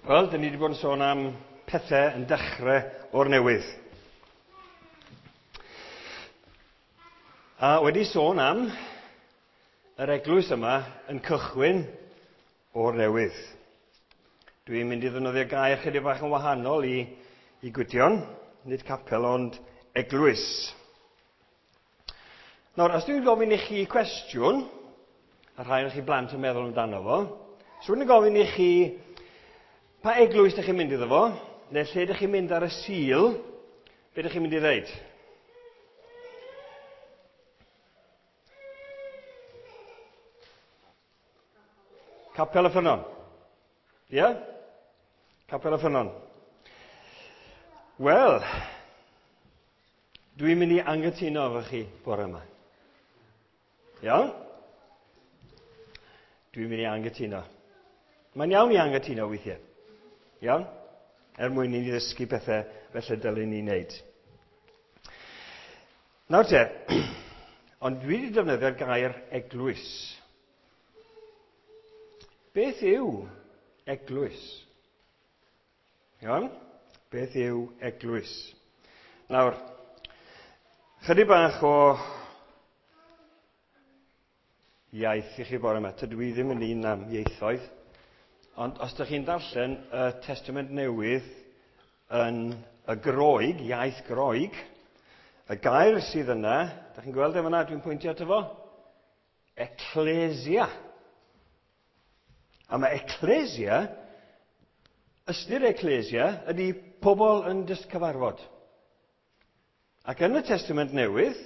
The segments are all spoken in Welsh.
Wel, dyn ni wedi bod yn sôn am pethau yn dechrau o'r newydd. A wedi sôn am yr eglwys yma yn cychwyn o'r newydd. Dwi'n mynd i ddefnyddio gair chydig bach yn wahanol i Gwydion, nid capel ond eglwys. Nawr, os dwi'n gofyn i chi cwestiwn, a rhai o'ch chi blant yn meddwl amdano fo, so dwi'n gofyn i chi pa eglwys ydych chi'n mynd iddo fo, neu lle ydych chi'n mynd ar y Sul, be ydych chi'n mynd i ddeud? Capel y Ffynnon. Ie? Yeah? Capel y Ffynnon. Wel, dwi'n mynd i anghytuno efo chi bore yma. Iawn? Dwi'n mynd i anghytuno. Mae'n iawn i anghytuno weithiau. Iawn? Er mwyn i ni ddysgu pethau felly dylwn ni wneud. Nawr te, ond dwi wedi defnyddio'r gair eglwys. Beth yw eglwys? Iawn? Beth yw eglwys? Nawr, chydig bach o iaith i chi bore yma. Tydw i ddim yn un am ieithoedd. Ond os ydych chi'n darllen y Testament Newydd yn y Groeg, iaith Groeg, y gair sydd yna, ydych chi'n gweld efo yna, dwi'n pwyntio ato fo? Ecclesia. A mae ecclesia, ystyr ecclesia, ydy pobl yn jyst cyfarfod. Ac yn y Testament Newydd,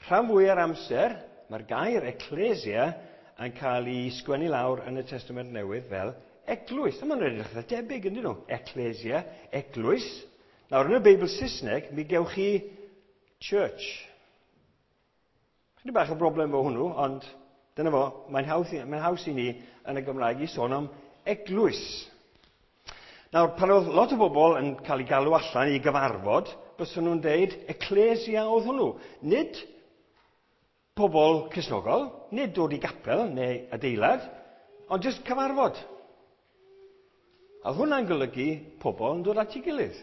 rhan fwy ar amser, mae'r gair ecclesia yn cael ei sgwennu lawr yn y Testament Newydd fel eglwys. A maen nhw'n edrych eitha debyg, ydyn nhw? Ecclesia, eglwys. Nawr, yn y Beibl Saesneg, mi gewch chi church. Chydig bach o broblem efo hwnnw, ond dyna fo, mae'n haws i ni yn y Gymraeg i sôn am eglwys. Nawr, pan oedd lot o bobl yn cael eu galw allan i gyfarfod, byswn nhw'n deud ecclesia oedd hwnnw. Nid pobl Cristnogol, nid dod i gapel neu adeilad, ond jyst cyfarfod. A oedd hwnna'n golygu pobl yn dod at ei gilydd.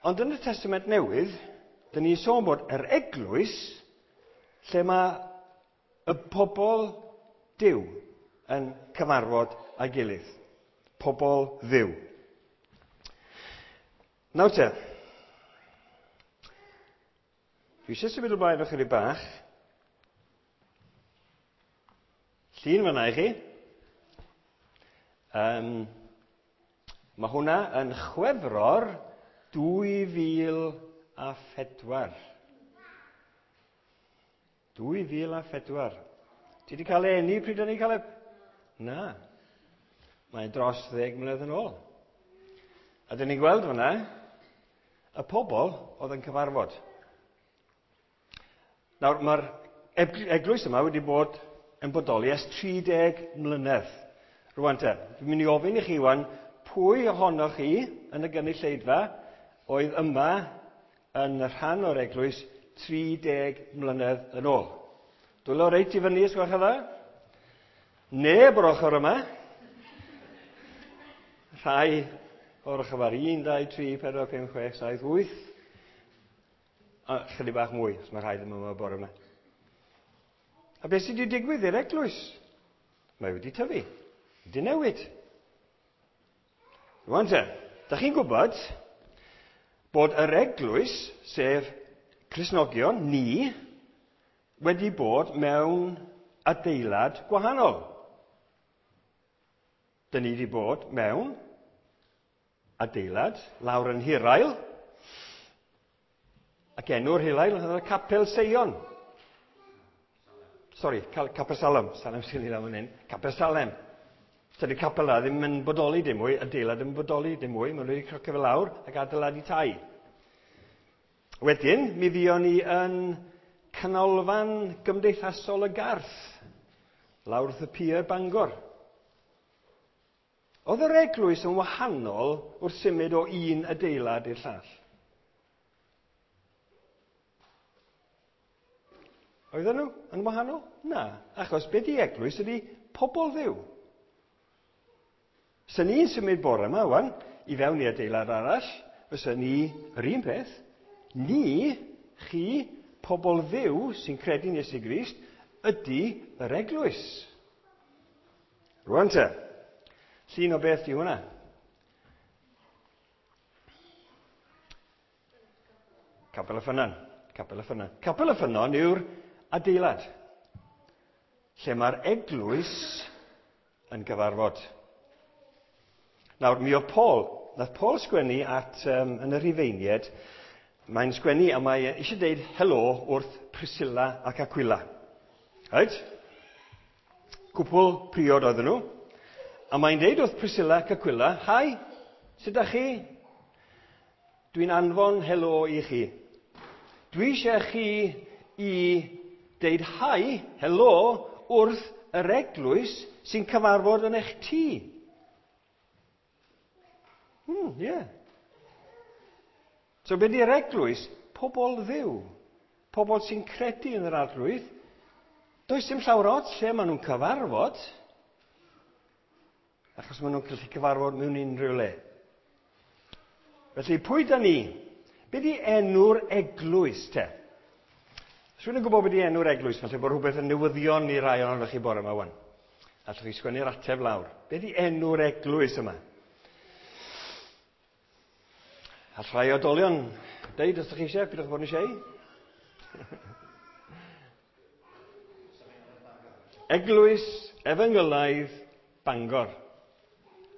Ond yn y Testament Newydd, dyn ni'n sôn bod yr eglwys lle mae y pobl Duw yn cyfarfod â'i gilydd. Pobl Dduw. Nawr te, dwi eisiau symud ymlaen ychydig bach. Llun fan'na i chi. Mae hwnna yn Chwefror 2004. 2004. Ti wedi cael eni pryd o'n i'n cael e? Na. Mae'n dros 10 mlynedd yn ôl. A dyn ni'n gweld fyna y pobl oedd yn cyfarfod. Nawr, mae'r eglwys yma wedi bod yn bodoli ers 30 mlynedd. Rwan te, dwi'n mynd i ofyn i chi wan, pwy ohonoch chi yn y gynulleidfa oedd yma yn rhan o'r eglwys 30 mlynedd yn ôl? Dwylo reit i fyny, os gwelwch yn dda. Neb o'r ochr yma. Rhai o'r ochr yma. 1, 2, 3, 4, 5, 6, 7, 8. A chydig bach mwy, os mae rhai ddim yma bore yma. A beth sydd wedi digwydd i'r eglwys? Mae wedi tyfu, wedi newid. Rwan te, da chi'n gwybod bod yr eglwys, sef Cristnogion, ni, wedi bod mewn adeilad gwahanol. Dyn ni wedi bod mewn adeilad lawr yn Hirael, ac enw'r Hirael oedd y Capel Seion. Sori, Capel Salem. Salem sy'n ei fan hyn. Capel Salem. Tydi'r capel yna ddim yn bodoli dim mwy, adeilad ddim yn bodoli dim mwy, maen nhw wedi crocio fe lawr ac adeiladu tai. Wedyn, mi fuon ni yn canolfan gymdeithasol y Garth, lawr wrth y pier Bangor. Oedd yr eglwys yn wahanol wrth symud o un adeilad i'r llall? Oedden nhw yn wahanol? Na, achos be di eglwys ydi pobl Dduw. Sy'n ni'n symud bore yma, wan, i fewn i adeilad arall, fysa ni yr un peth. Ni, chi, pobl Dduw sy'n credu'n Iesu Grist, ydy yr eglwys. Rwan te, llun o beth di hwnna? Capel y Ffynnon. Capel y Ffynnon. Capel y Ffynnon yw'r adeilad lle mae'r eglwys yn gyfarfod. Nawr, mi oedd Paul, nath Paul sgwennu at, yn y Rhufeiniaid, mae'n sgwennu a mae eisiau deud helo wrth Priscilla ac Aquila. Right? Cwpl priod oedden nhw. A mae'n deud wrth Priscilla ac Aquila, "Hi, sut ydych chi? Dwi'n anfon helo i chi. Dwi eisiau chi i deud hi, helo, wrth yr eglwys sy'n cyfarfod yn eich tŷ." Yeah. So be di'r eglwys? Pobl Dduw. Pobl sy'n credu yn yr Arglwydd. Does dim llawer ots lle maen nhw'n cyfarfod, achos maen nhw'n gallu cyfarfod mewn unrhyw le. Felly, pwy da ni? Be di enw'r eglwys, te? Os rhywun yn gwybod be di enw'r eglwys, falle bod rhywbeth yn newyddion i rai ohonoch chi bore yma wan. Allwch chi sgwennu'r ateb lawr. Be di enw'r eglwys yma? All rhai oedolion deud os ydych chi eisiau, pidwch bod yn eisiau. Eglwys Efengylaidd Bangor.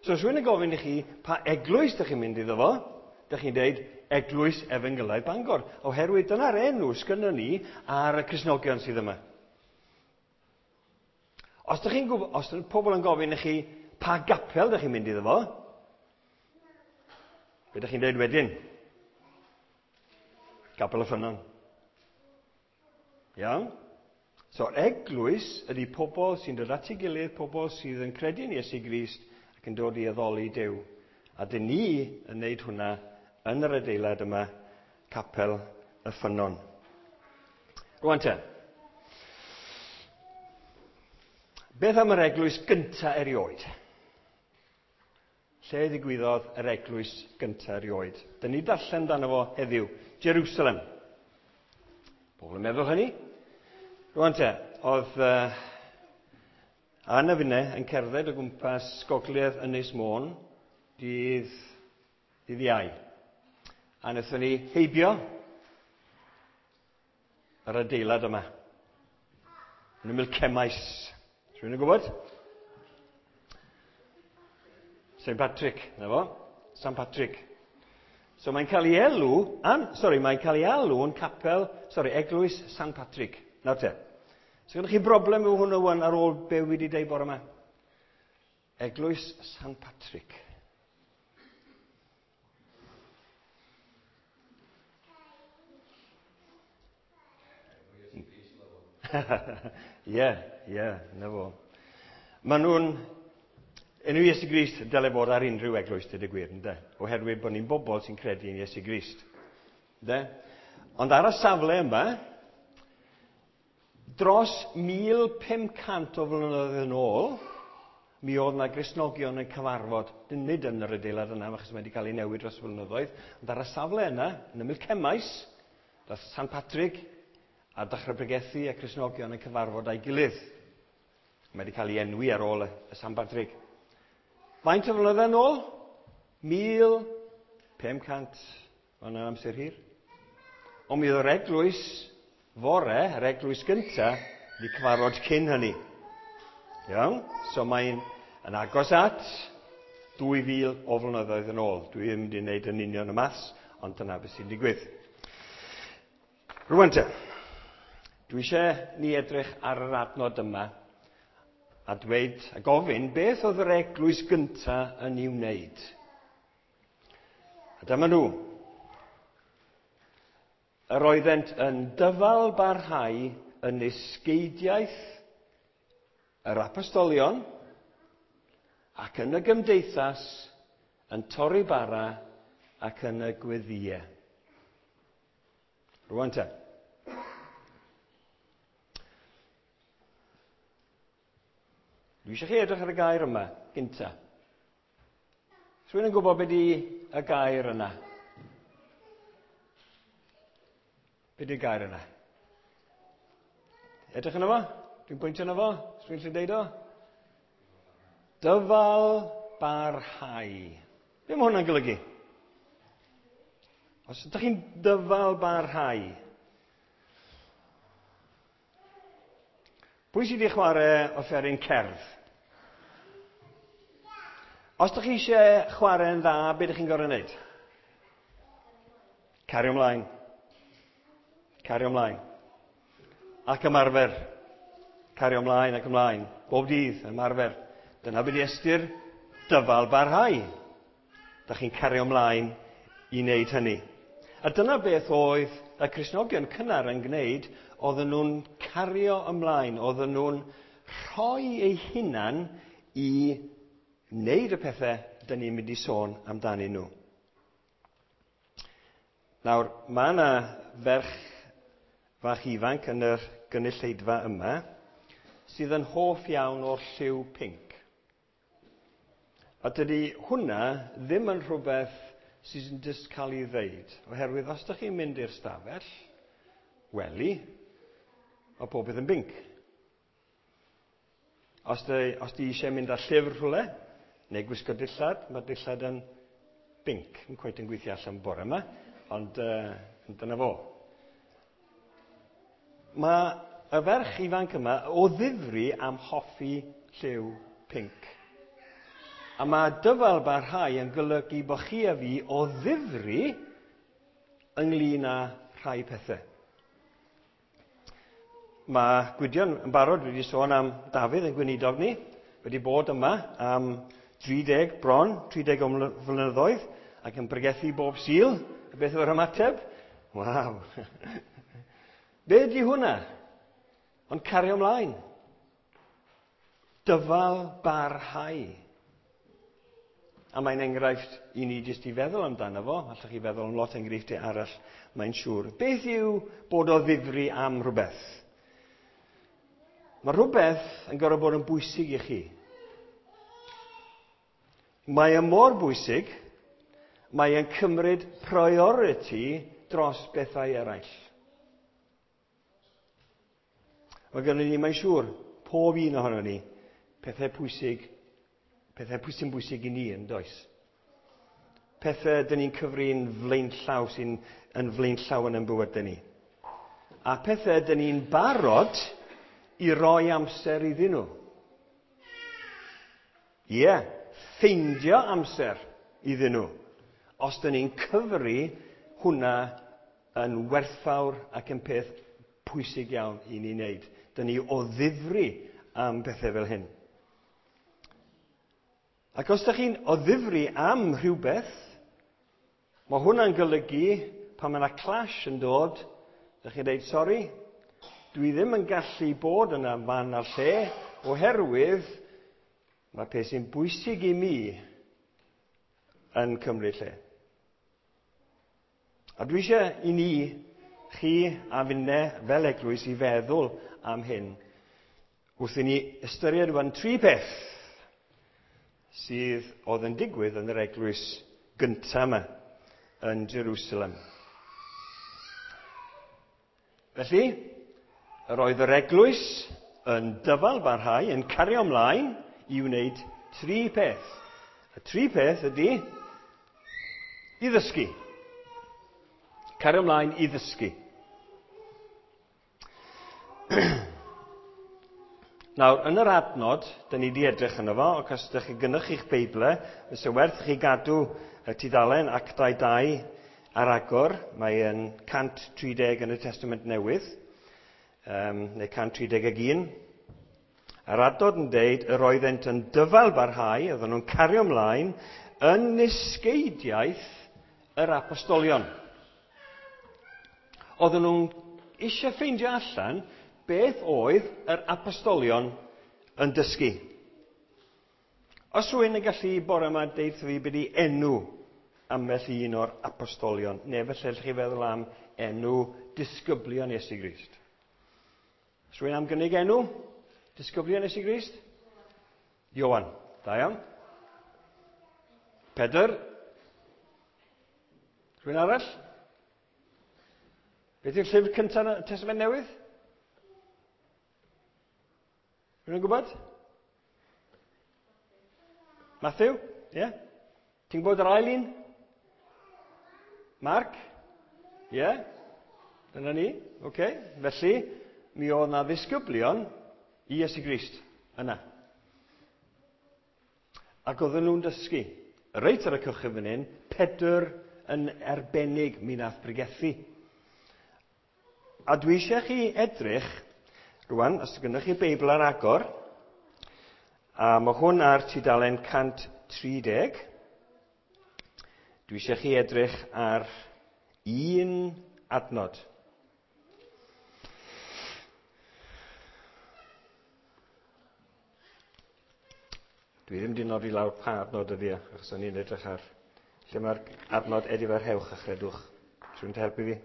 So, os rhywun yn gofyn i chi pa eglwys ydych chi'n mynd iddo fo, ydych chi'n deud Eglwys Efengylaidd Bangor, oherwydd dyna'r enw sgynnon ni ar y Cristnogion sydd yma. Os ydych chi'n gwybod, os ydy pobl yn gofyn i chi pa gapel ydych chi'n mynd iddo fo, be ydych chi'n deud wedyn? Capel y Ffynnon. Iawn? So, eglwys ydy pobl sy'n dod at ei gilydd, pobl sydd yn credu yn Iesu Grist ac yn dod i addoli Duw. A dyn ni yn neud hwnna yn yr adeilad yma, Capel y Ffynnon. Rwan te. Beth am yr eglwys gynta erioed? Lle ddigwyddodd yr eglwys gynta erioed? Dyn ni darllen amdano fo heddiw. Jerusalem. Pobl yn meddwl hynny. Rwan te, oedd Anna finne yn cerdded o gwmpas gogledd Ynys Môn dydd Iau. A wnaethon ni heibio yr adeilad yma. Yn ymyl Cemaes. Rhywun yn gwybod? St Patrick, na fo? St Patrick. So mae'n cael ei elw, mae'n cael ei alw yn capel, eglwys St Patrick. Nawr te. So gyda chi broblem efo hwnnw wan ar ôl be wi wedi deud bore yma? Eglwys St Patrick. Ie, na fo. Maen nhw'n... Enw Iesu Grist dyle fod ar unrhyw eglwys, dweud y gwir, ynde? Oherwydd bod ni'n bobl sy'n credu yn Iesu Grist. Ynde? Ond ar y safle yma, dros 1500 o flynyddoedd yn ôl, mi oedd yna Gristnogion yn cyfarfod, nid yn yr adeilad yna, achos mae wedi cael ei newid dros flynyddoedd, ond ar y safle yna, yn ymyl Cemaes, dath St Patrick a dechrau pregethu a Cristnogion yn cyfarfod â'i gilydd. Mae wedi cael ei enwi ar ôl y St Patrick. Faint o flynyddoedd yn ôl? 1500. Mae'n amser hir. Ond mi oedd yr eglwys fore, yr eglwys gynta, wedi cyfarfod cyn hynny. Iawn? So mae'n yn agos at 2000 o flynyddoedd yn ôl. Dwi ddim wedi gwneud yn union y maths, ond dyna beth sy'n digwydd. Rwan te, dwi eisiau ni edrych ar yr adnod yma a dweud a gofyn beth oedd yr eglwys gynta yn ei wneud. A dyma nhw. Yr oeddent yn dyfal barhau yn esgeidiaeth yr apostolion ac yn y gymdeithas yn torri bara ac yn y gweddïau. Rwan te. Dwi eisiau chi edrych ar y gair yma, gynta. Rhywun yn gwybod beth di y gair yna? Be di'r gair yna? Edrych yna fo? Dwi'n pwyntio yna fo? Rhywun sy'n deud o? Dyfal barhau. Be mae hwnna'n golygu? Os ydych chi'n dyfal barhau, pwy sydd wedi chwarae offeryn cerdd? Os ydych chi eisiau chwarae'n dda, be ydych chi'n gorfod wneud? Cario ymlaen. Cario ymlaen. Ac ymarfer. Cario ymlaen ac ymlaen. Bob dydd, ymarfer. Dyna beth ystyr dyfal barhau. Da chi'n cario ymlaen i wneud hynny. A dyna beth oedd y Cristnogion cynnar yn gwneud, oedden nhw'n cario ymlaen, oedden nhw'n rhoi eu hunan i wneud y pethau dyn ni'n mynd i sôn amdanyn nhw. Nawr, mae yna ferch fach ifanc yn yr gynulleidfa yma sydd yn hoff iawn o'r lliw pinc. A dydy hwnna ddim yn rhywbeth sydd yn jyst cael ei ddeud, oherwydd os ydych chi'n mynd i'r stafell, wely, mae pob beth yn binc. Os di, os di eisiau mynd â llyfr rhywle, neu gwisgo dillad, mae dillad yn binc. Yn cweit yn gweithio allan bore yma, ond dyna fo. Mae y ferch ifanc yma o ddifri am hoffi lliw pinc. A mae dyfal barhau yn golygu bod chi a fi o ddifri ynglyn â rhai pethau. Mae Gwydion yn barod wedi sôn am Dafydd yn gweinidog ni, wedi bod yma am 30 bron, 30 o flynyddoedd, ac yn pregethu bob Sul. Beth yw'r ymateb? Waw! Be ydy hwnna? Ond cario ymlaen. Dyfal barhau. A mae'n enghraifft i ni jyst i feddwl amdano fo. Allwch chi feddwl am lot enghreifftiau arall, mae'n siŵr. Beth yw bod o ddifri am rhywbeth? Mae rhywbeth yn gorfod bod yn bwysig i chi. Mae e mor bwysig, mae e'n cymryd priority dros bethau eraill. Mae gennym ni, mae'n siŵr, pob un ohono ni, pethau pwysig, pethau sy'n bwysig i ni yn does. Pethau dyn ni'n cyfri'n flaenllaw sy'n yn flaenllaw yn ein bywydau ni. A pethau dyn ni'n barod i roi amser iddyn nhw. Ie, yeah, ffeindio amser iddyn nhw. Os dyn ni'n cyfri hwnna yn werthfawr ac yn peth pwysig iawn i ni wneud. Dyn ni o ddifri am bethau fel hyn. Ac os ydych chi'n o ddifri am rhywbeth, mae hwnna'n golygu pan mae yna clash yn dod, ydych chi'n dweud, sori, dwi ddim yn gallu bod yna fan a'r lle, oherwydd mae peth sy'n bwysig i mi yn cymryd lle. A dwi eisiau i ni, chi a finne fel eglwys, i feddwl am hyn. Wrth i ni ystyried rwan tri peth sydd oedd yn digwydd yn yr eglwys gyntaf yma yn Jerusalem. Felly, yr oedd yr eglwys yn dyfal barhau, yn cario ymlaen i wneud tri peth. Y tri peth ydy i ddysgu. Cario ymlaen i ddysgu. Nawr, yn yr adnod, dyn ni wedi edrych yno fo, ac os ydych chi gynnwch chi'ch Beible, fysa werth chi gadw y tudalen Actau 2 ar agor. Mae yn 130 yn y Testament Newydd, neu 131. A'r adnod yn deud, yr oeddent yn dyfal barhau, oedden nhw'n cario ymlaen, yn nisgeidiaeth yr apostolion. Oedden nhw'n eisiau ffeindio allan beth oedd yr apostolion yn dysgu. Os rhywun yn gallu bore yma deud fi beth i enw ambell un o'r apostolion, neu felly allwch chi feddwl am enw disgyblion Iesu Grist. Os rhywun am gynnig enw disgyblion Iesu Grist? Ioan. Da iawn. Pedr. Rhywun arall? Beth yw'r llyfr cyntaf yn y Testament Newydd? Rhywun yn gwybod? Matthew? Ie? Yeah? Ti'n gwybod yr ail un? Mark? Ie? Yeah? Dyna ni. Oce. Okay. Felly, mi oedd na ddisgyblion i Iesu Grist yna. Ac oedden nhw'n dysgu. Reit ar y cychwyn fan hyn, Pedr yn arbennig mi nath bregethu. A dwi eisiau chi edrych, rwan, os gynnwch chi Beibl ar agor, a mae hwn ar tudalen 130, dwi eisiau chi edrych ar un adnod. Dwi ddim wedi nodi lawr pa adnod ydi e, achos o'n i'n edrych ar lle mae'r adnod edifarhewch a chredwch. Rhywun yn helpu fi?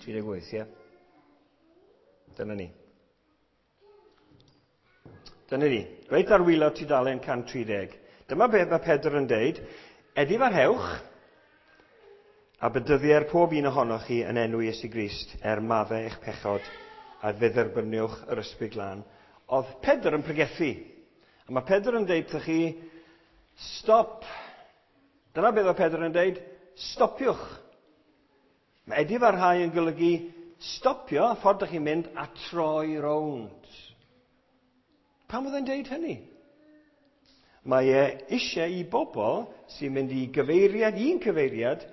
38, ie. Dyna ni. Dyna ni. Reit ar wylod tudalen 130. Dyma beth mae Pedr yn deud. Edifarhewch a bedyddier pob un ohonoch chi yn enw Iesu Grist er maddau eich pechod a fe dderbyniwch yr ysbryd glân. Oedd Pedr yn pregethu. A mae Pedr yn deud wrthych chi, stop. Dyna beth oedd Pedr yn deud, stopiwch. Mae edifarhau yn golygu stopio, ffordd ydych chi'n mynd, a troi rownd. Pam oedd e'n deud hynny? Mae e eisiau i bobl sy'n mynd i gyfeiriad, un cyfeiriad,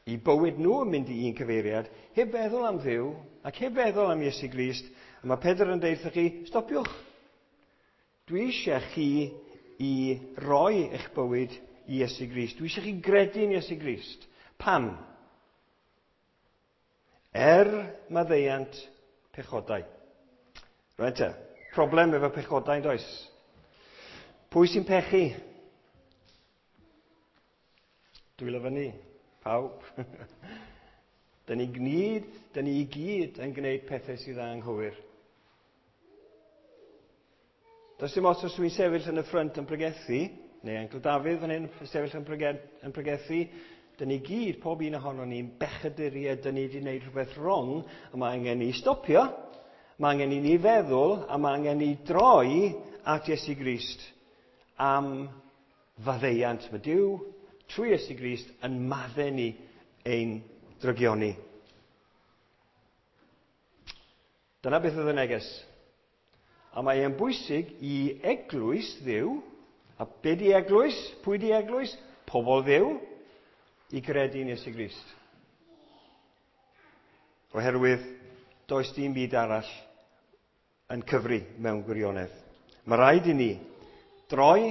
i bywyd nhw yn mynd i un cyfeiriad, heb feddwl am Dduw ac heb feddwl am Iesu Grist. A mae Pedr yn deud wrthych chi, stopiwch. Dwi eisiau chi i roi eich bywyd i Iesu Grist. Dwi eisiau chi gredu yn Iesu Grist. Pam? Er maddeuant pechodau. Reit te, problem efo pechodau yn does? Pwy sy'n pechu? Dwylo fyny, pawb. Dyn ni gyd, dyn ni i gyd yn gwneud pethau sydd anghywir. Does dim ots os dwi'n sefyll yn y ffrynt yn pregethu, neu Uncle Dafydd fan hyn yn sefyll yn, yn pregethu, dyn ni gyd, pob un ohono ni'n bechaduriaid, dyn ni wedi gwneud rhywbeth wrong, a mae angen ni stopio, mae angen i ni feddwl, a mae angen ni droi at Iesu Grist am faddeuant. Mae Duw, trwy Iesu Grist, yn maddau ni ein drygioni. Dyna beth oedd y neges. A mae e'n bwysig i eglwys Dduw, a be di eglwys? Pwy di eglwys? Pobl Dduw, i gredu yn Iesu Grist. Oherwydd does dim byd arall yn cyfri mewn gwirionedd. Mae rhaid i ni droi,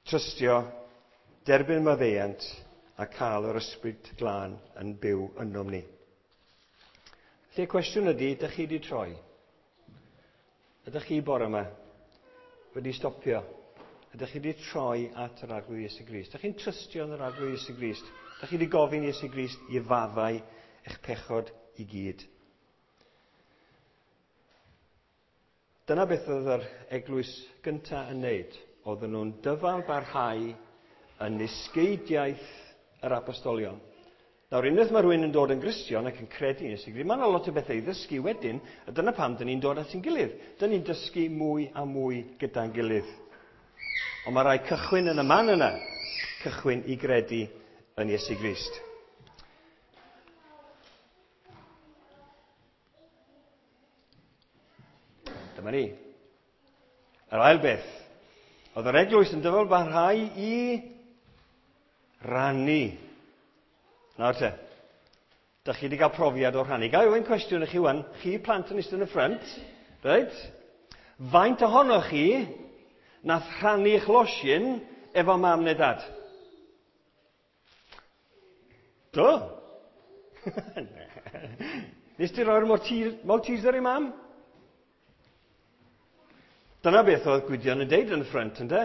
trystio, derbyn maddeuant a cael yr ysbryd glân yn byw ynom ni. Felly y cwestiwn ydy, ydych chi wedi troi? Ydych chi bore yma wedi stopio? Ydych chi wedi troi at yr Arglwydd Iesu Grist? Ydych chi'n trystio yn yr Arglwydd Iesu Grist? Ydych chi wedi gofyn Iesu Grist i faddau eich pechod i gyd? Dyna beth oedd yr eglwys gyntaf yn wneud. Oedden nhw'n dyfal barhau yn nisgeidiaeth yr apostolion. Nawr, unwaith mae rhywun yn dod yn Gristion ac yn credu yn Iesu Grist, mae yna lot o bethau i ddysgu wedyn, a dyna pam dyn ni'n dod at ein gilydd. Dyn ni'n dysgu mwy a mwy gyda'n gilydd. Ond mae rhaid cychwyn yn y man yna, cychwyn i gredu yn Iesu Grist. Dyma ni. Yr ail beth, oedd yr eglwys yn dyfal barhau i rannu. Nawr te, da chi wedi cael profiad o rhannu. Ga i ofyn cwestiwn i chi wan, chi plant yn eistedd yn y ffrynt, reit? Faint ohonoch chi nath rhannu eich losin efo mam neu dad? Do? Nes ti roi'r Malteser i mam? Dyna beth oedd Gwydion yn deud yn y ffrynt, ynde?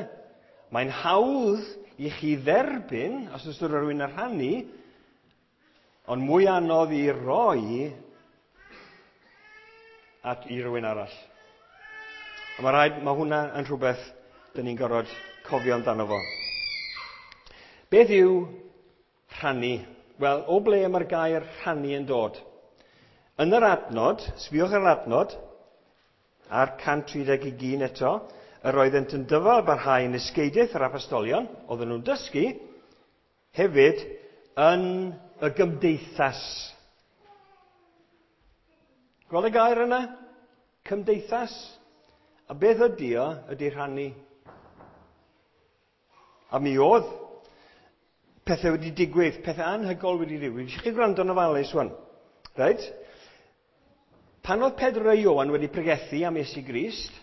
Mae'n hawdd i chi dderbyn, os oes rhywun yn rhannu, ond mwy anodd i roi at i rywun arall. A mae rhaid, mae hwnna yn rhywbeth Dyn ni'n gorfod cofio amdano fo. Beth yw rhannu? Wel, o ble mae'r gair rhannu yn dod? Yn yr adnod, sbiwch ar yr adnod, ar 131 eto, yr oeddent yn dyfal barhau yn ysgeidiaeth yr apostolion, oedden nhw'n dysgu, hefyd yn y gymdeithas. Gweld y gair yna? Cymdeithas. A beth ydy o? Ydy rhannu. A mi oedd pethau wedi digwydd, pethau anhygoel wedi digwydd. Eisiau chi gwrando yn ofalus wan. Reit? Pan oedd Pedr a Ioan wedi pregethu am Iesu Grist,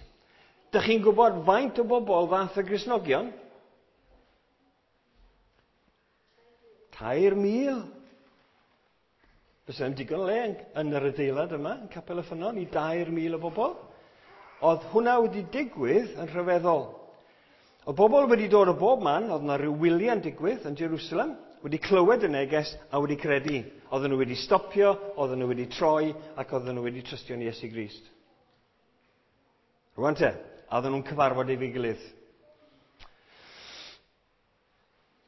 dych chi'n gwybod faint o bobl ddath y Gristnogion? 3,000. Fysa ddim digon o le yn yr adeilad yma, yn Capel y Ffynnon, i 3,000 o bobl. Oedd hwnna wedi digwydd yn rhyfeddol. Oedd bobl wedi dod o bob man, oedd yna rhyw wyliau'n digwydd yn Jerusalem, wedi clywed y neges a wedi credu. Oedden nhw wedi stopio, oedden nhw wedi troi, ac oedden nhw wedi trystio yn Iesu Grist. Rwan te, a oedden nhw'n cyfarfod efo'i gilydd.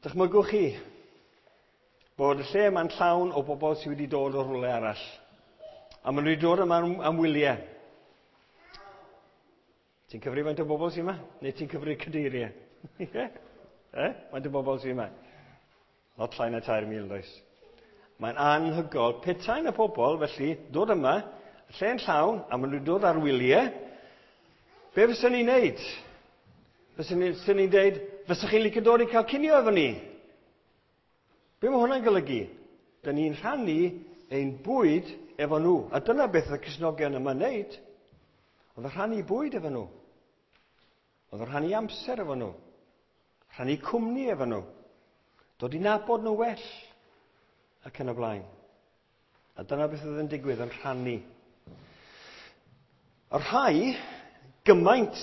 Dychmygwch chi bod y lle yma'n llawn o bobl sydd wedi dod o rhywle arall. A maen nhw wedi dod yma am wyliau. Ti'n cyfri faint o bobl sydd yma? Neu ti'n cyfri cadeiriau? Ie? Faint o bobl sydd yma? Lot llai na 3,000, does? Mae'n anhygoel. Petai na pobl, felly, dod yma, lle'n llawn, a maen nhw'n dod ar wyliau, be fyswn ni'n neud? Fyswn ni'n deud, fyswch chi'n licio dod i cael cinio efo ni? Be mae hwnna'n golygu? Dyn ni'n rhannu ein bwyd efo nhw. A dyna beth oedd y Cristnogion yma'n neud. Oedd y rhannu bwyd efo nhw. Oedd y rhannu amser efo nhw. Rhannu cwmni efo nhw. Dod i nabod nhw well. Ac yn y blaen. A dyna beth oedd yn digwydd, yn rhannu. Y rhai gymaint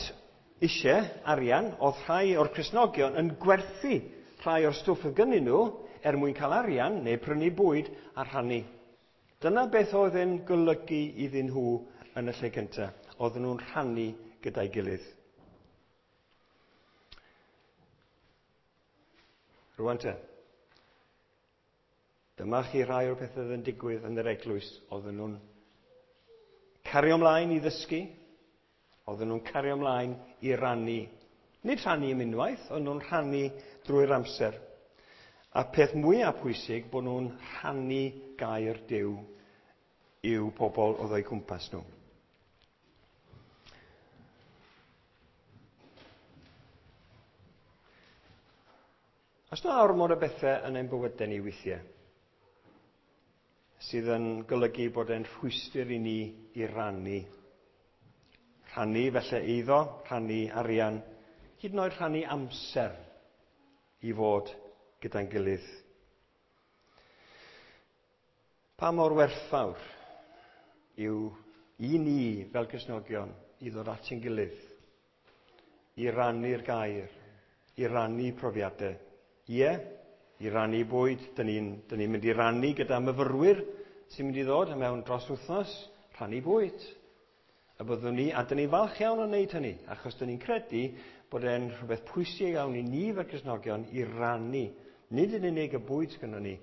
eisiau arian, oedd rhai o'r Cristnogion yn gwerthu rhai o'r stwff oedd gynnyn nhw er mwyn cael arian neu prynu bwyd a rhannu. Dyna beth oedd yn golygu iddyn nhw yn y lle cyntaf. Oedden nhw'n rhannu gyda'i gilydd. Rwan te. Dyma chi rhai o'r pethau oedd yn digwydd yn yr eglwys. Oedden nhw'n cario ymlaen i ddysgu. Oedden nhw'n cario ymlaen i rannu. Nid rhannu am unwaith, ond nhw'n rhannu drwy'r amser. A peth mwyaf pwysig, bod nhw'n rhannu gair Duw i'w pobl oedd o'u cwmpas nhw. Os yna ormod o bethau yn ein bywydau ni weithiau, sydd yn golygu bod e'n rhwystr i ni i rannu. Rhannu felly eiddo, rhannu arian, hyd yn oed rhannu amser i fod gyda'n gilydd. Pa mor werthfawr yw i ni fel Cristnogion i ddod at ein gilydd, i rannu'r gair, i rannu profiadau. Ie, i rannu bwyd, dyn ni'n mynd i rannu gyda myfyrwyr sy'n mynd i ddod mewn dros wythnos, rhannu bwyd. A byddwn ni, a dyn ni'n falch iawn o wneud hynny, achos dyn ni'n credu bod e'n rhywbeth pwysig iawn i ni fel Cristnogion i rannu. Nid yn unig y bwyd sgynnon ni,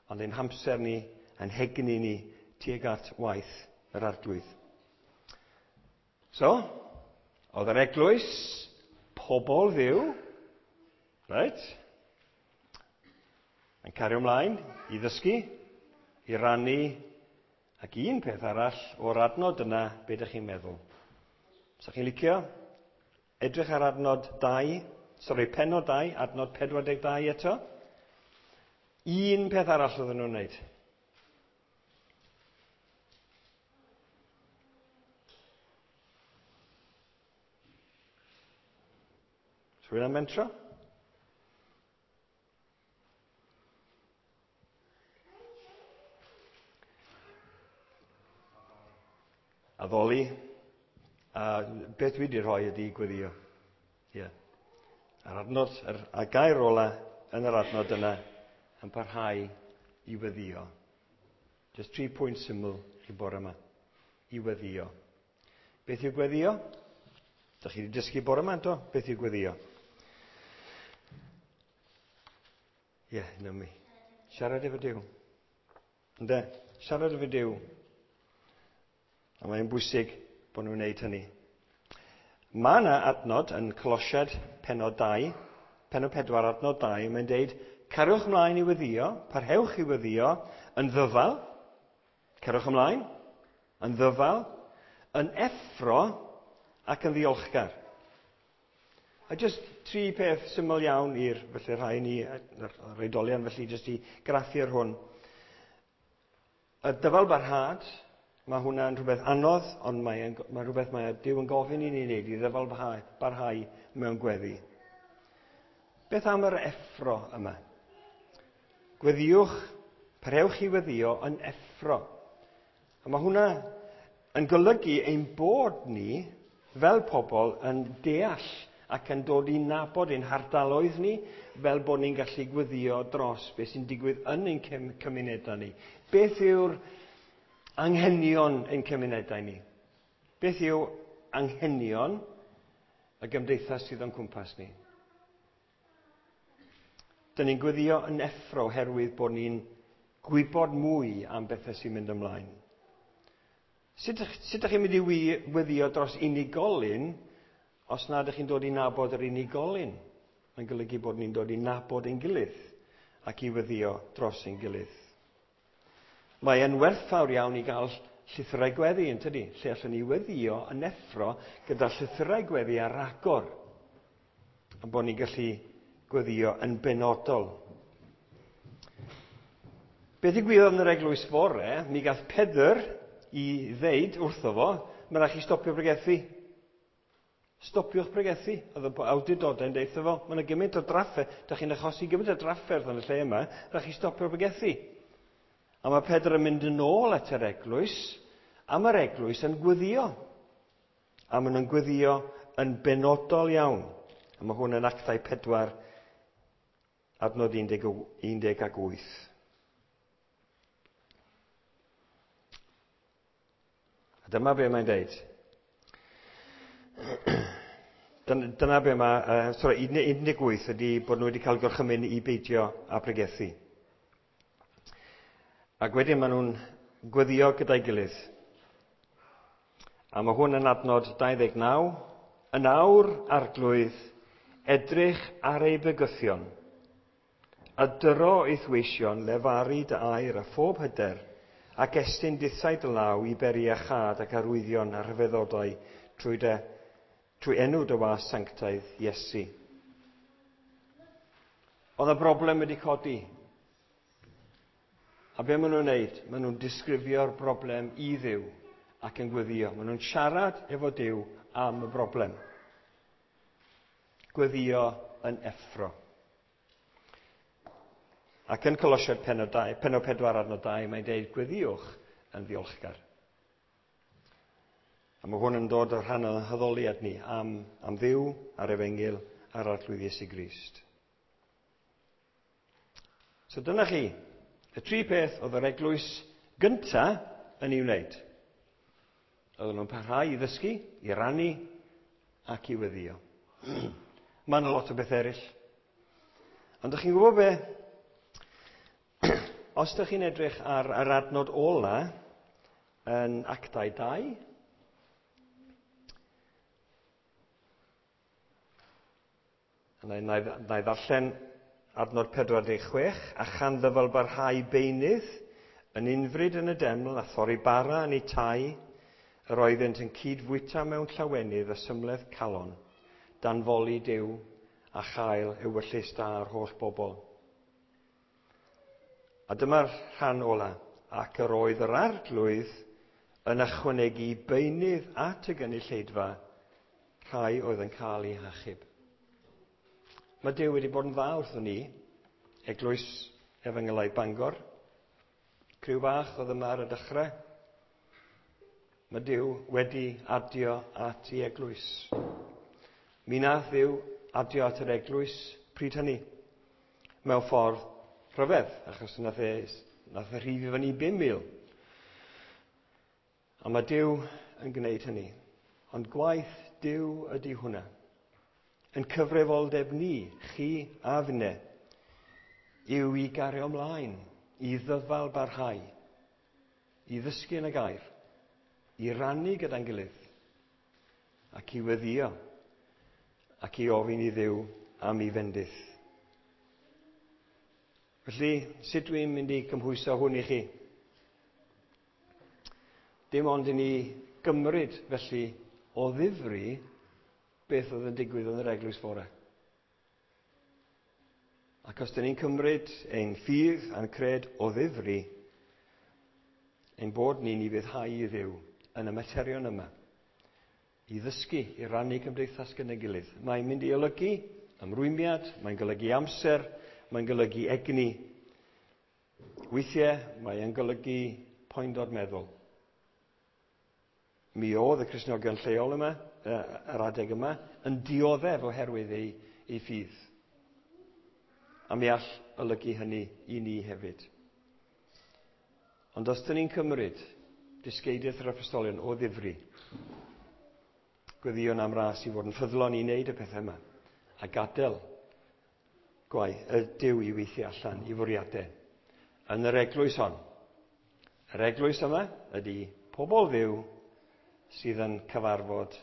ond ein hamser ni, ein hegni ni, tuag at waith yr Arglwydd. So, oedd yr eglwys, pobl Dduw, right? Yn cario ymlaen i ddysgu, i rannu, ac un peth arall o'r adnod yna, be ydych chi'n meddwl? Sa chi'n licio? Edrych ar adnod 2, sori, pennod 2, adnod 42 eto. Un peth arall oedden nhw'n wneud. Rhywun am mentro? Addoli. A beth dwi wedi rhoi ydy gweddio. Ie. Yeah. A'r adnod, a gair ola yn yr adnod yna yn parhau i weddio. Just 3 pwynt syml chi bore yma. I weddio. Beth yw gweddio? Dych chi wedi dysgu bore yma, do? Beth yw gweddio? Ie, yeah, na mi. Siarad efo Duw. Ynde? Siarad efo Duw. A mae'n bwysig bod nhw'n gwneud hynny. Mae yna adnod yn Colosiad penod 2, penod 4 adnod 2, mae'n deud, cariwch ymlaen i weddio, parhewch i weddio, yn ddyfal, cariwch ymlaen, yn ddyfal, yn effro ac yn ddiolchgar. A jyst tri peth syml iawn i'r felly rhai ni, yr oedolion felly, jyst i graffu ar hwn. Y dyfal barhad, mae hwnna'n rhywbeth anodd, ond mae'n mae rhywbeth mae Duw yn gofyn i ni wneud, i ddyfal barhau mewn gweddi. Beth am yr effro yma? Gweddiwch, parhewch i weddio yn effro. A mae hwnna yn golygu ein bod ni, fel pobl, yn deall ac yn dod i nabod ein hardaloedd ni, fel bod ni'n gallu gweddio dros beth sy'n digwydd yn ein cymunedau ni. Beth yw'r anghenion ein cymunedau ni? Beth yw anghenion y gymdeithas sydd o'n cwmpas ni? Dyn ni'n gweddio yn effro oherwydd bod ni'n gwybod mwy am bethau sy'n mynd ymlaen. Sut ydych chi'n mynd i weddio dros unigolyn os nad ydych chi'n dod i nabod yr unigolyn? Mae'n golygu bod ni'n dod i nabod ein gilydd ac i weddio dros ein gilydd. Mae e'n werthfawr iawn i gael llythyrau gweddi, yn tydi? Lle allwn ni weddio yn effro gyda llythyrau gweddi ar agor. A bod ni'n gallu gweddio yn benodol. Beth ddigwyddodd yn yr eglwys fore, mi gath Pedr i ddeud wrtho fo, mae rhaid chi stopio bregethu. Stopiwch bregethu. Oedd y awdurdodau'n deud wrtho fo, mae yna gymaint o drafferth, da chi'n achosi gymaint o drafferth yn y lle yma, rhaid chi stopio bregethu. A mae Pedr yn mynd yn ôl at yr eglwys, a mae'r eglwys yn gweddio. A maen nhw'n gweddio yn benodol iawn. A mae hwn yn Actau 4, adnod 18. A dyma be mae'n deud. Dyna be mae, sorry, 18 ydy bod nhw wedi cael gorchymyn i beidio â pregethu. Ac wedyn maen nhw'n gweddio gyda'i gilydd. A mae hwn yn adnod 29. Yn awr, arglwydd, edrych ar ei bygythion, a dyro eith weision lefaru dy air a phob hyder, ac estyn dithau dy law i beri a chad ac arwyddion a rhyfeddodau trwy enw dy was sanctaidd Iesu. Oedd y broblem wedi codi. A be maen nhw'n wneud? Maen nhw'n disgrifio'r broblem i Dduw ac yn gweddio. Maen nhw'n siarad efo Duw am y broblem. Gweddio yn effro. Ac yn Colosiaid penod 4 adnod 2, mae'n deud gweddiwch yn ddiolchgar. A mae hwn yn dod o'r rhan o'n haddoliad ni am Dduw, a'r Efengyl, a'r Arglwydd Iesu Grist. So dyna chi, y tri peth oedd yr eglwys gynta yn ei wneud. Oedden nhw'n parhau i ddysgu, i rannu ac i weddio. Mae yna lot o beth eraill. Ond ydych chi'n gwybod be? Os ydych chi'n edrych ar yr adnod ola yn Actau 2, na i ddarllen adnod 46, a chan ddyfal barhau beunydd yn unfryd yn y deml a thorri bara yn eu tai, yr oeddynt yn cydfwyta mewn llawenydd a symledd calon, danfoli Duw a chael ewyllys da ar holl bobl. A dyma'r rhan ola, ac yr oedd yr arglwydd yn ychwanegu beunydd at y gynulleidfa, rhai oedd yn cael eu hachub. Mae Duw wedi bod yn dda wrthon ni, Eglwys Efengylaidd Bangor. Criw bach oedd yma ar y dechrau. Mae Duw wedi adio at ei eglwys. Mi nath Dduw adio at yr eglwys pryd hynny. Mewn ffordd rhyfedd, achos nath e rhif i fyny 5,000. A mae Duw yn gwneud hynny. Ond gwaith Duw ydy hwnna. Yn cyfrifoldeb ni, chi a finne, yw i gario ymlaen, i ddyfal barhau, i ddysgu yn y gair, i rannu gyda'n gilydd, ac i weddïo, ac i ofyn i Dduw am ei fendith. Felly, sut dwi'n mynd i cymhwyso hwn i chi? Dim ond i ni gymryd, felly, o ddifri beth oedd yn digwydd yn yr eglwys fore. Ac os dyn ni'n cymryd ein ffydd a'n cred o ddifri, ein bod ni'n ufuddhau i Dduw yn y materion yma, i ddysgu, i rannu cymdeithas gyda'n gilydd. Mae'n mynd i olygu ymrwymiad, mae'n golygu amser, mae'n golygu egni. Weithiau mae'n golygu poendod meddwl. Mi oedd y Cristnogion lleol yma, yr adeg yma, yn dioddef oherwydd ei ffydd. A mi all olygu hynny i ni hefyd. Ond os dyn ni'n cymryd dysgeidiaeth yr apostolion o ddifri, gweddïwn am ras i fod yn ffyddlon i wneud y pethau yma, a gadael gwaith y Duw i weithio allan i fwriadau. Yn yr eglwys hon. Yr eglwys yma ydy pobl Dduw sydd yn cyfarfod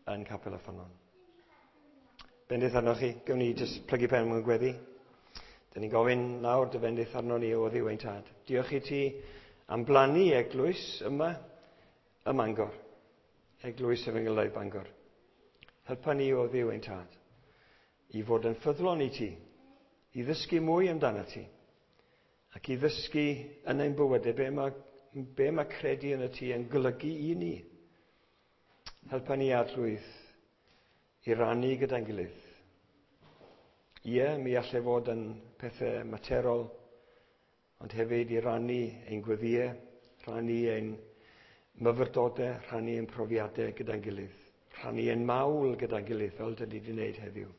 yn Capel y Ffynnon. Bendith arnoch chi. Gawn ni jyst plygu pen mewn gweddi. Dyn ni'n gofyn nawr dy fendith arno ni o Dduw ein tad. Diolch i ti am blannu eglwys yma ym Mangor. Eglwys Efengylaidd Bangor. Helpa ni o Dduw ein tad i fod yn ffyddlon i ti, i ddysgu mwy amdano ti, ac i ddysgu yn ein bywydau be mae credu yn y ti yn golygu i ni. Helpa ni, Arglwydd, i rannu gyda'n gilydd. Ie, mi allai fod yn pethau materol, ond hefyd i rannu ein gweddïau, rhannu ein myfyrdodau, rhannu ein profiadau gyda'n gilydd, rhannu ein mawl gyda'n gilydd, fel dyn ni wedi wneud heddiw.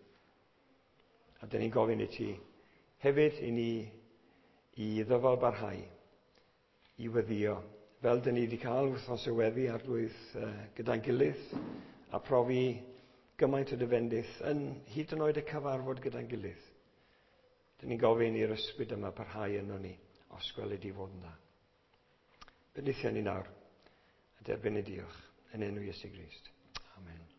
A dyn ni'n gofyn i ti hefyd i ni i ddyfal barhau, i weddïo, fel dyn ni wedi cael wythnos o weddi, Arglwydd, gyda'n gilydd, a profi gymaint o dy fendith yn hyd yn oed y cyfarfod gyda'n gilydd. Dyn ni'n gofyn i'r ysbryd yma parhau yno ni, os gweled di fod yn dda. Bendithio ni nawr, a derbyn y diolch yn enw Iesu Grist. Amen.